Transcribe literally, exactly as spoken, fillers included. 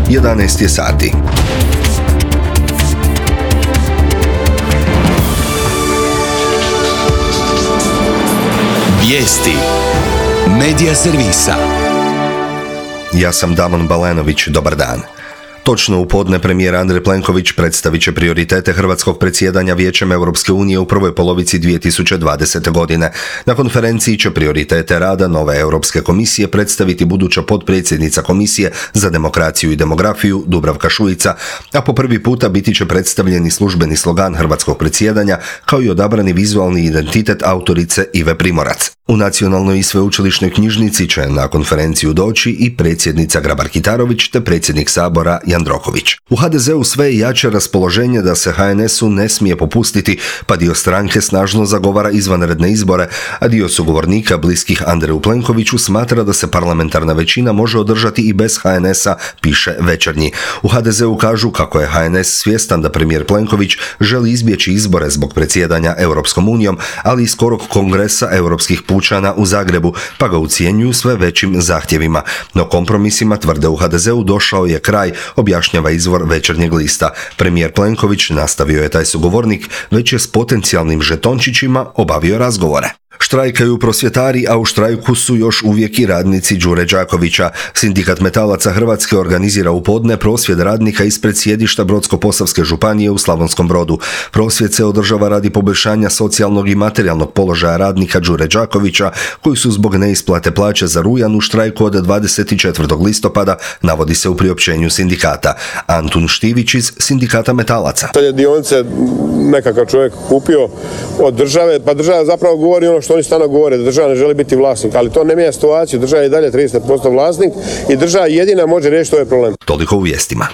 jedanaest je sati. Vijesti Medija servisa. Ja sam Damon Balenović, dobar dan. Točno u podne premijer Andrej Plenković predstavit će prioritete hrvatskog predsjedanja Vijećem Europske unije u prvoj polovici dvije tisuće dvadesete. godine. Na konferenciji će prioritete rada nove Europske komisije predstaviti buduća potpredsjednica Komisije za demokraciju i demografiju Dubravka Šuica, a po prvi puta biti će predstavljeni službeni slogan hrvatskog predsjedanja kao i odabrani vizualni identitet autorice Ive Primorac. U Nacionalnoj i sveučilišnoj knjižnici će na konferenciju doći i predsjednica Grabar-Kitarović te predsjednik Sabora Jandroković. U ha de zeu sve je jače raspoloženje da se ha en esu ne smije popustiti, pa dio stranke snažno zagovara izvanredne izbore, a dio sugovornika bliskih Andreju Plenkoviću smatra da se parlamentarna većina može održati i bez ha en esa, piše Večernji. U ha de zeu kažu kako je ha en es svjestan da premijer Plenković želi izbjeći izbore zbog predsjedanja Europskom unijom, ali i skorog kongresa europskih pučana u Zagrebu, pa ga ucijenjuju sve većim zahtjevima. No kompromisima, tvrde u ha de zeu, došao je kraj, objašnjava izvor Večernjeg lista. Premijer Plenković, nastavio je taj sugovornik, već je s potencijalnim žetončićima obavio razgovore. Štrajkaju prosvjetari, a u štrajku su još uvijek i radnici Đure Đakovića. Sindikat metalaca Hrvatske organizira u podne prosvjed radnika ispred sjedišta Brodsko-posavske županije u Slavonskom Brodu. Prosvjed se održava radi poboljšanja socijalnog i materijalnog položaja radnika Đure Đakovića, koji su zbog neisplate plaće za rujan u štrajku od dvadeset četvrtog listopada, navodi se u priopćenju sindikata. Antun Štivić iz Sindikata metalaca. Te dionice nekakav čovjek kupio od države, pa država zapravo govori ono što oni stalno govore, da država ne želi biti vlasnik, ali to ne mijenja situaciju, država je i dalje trideset posto vlasnik i država jedina može riješiti ovaj problem. Toliko u vijestima.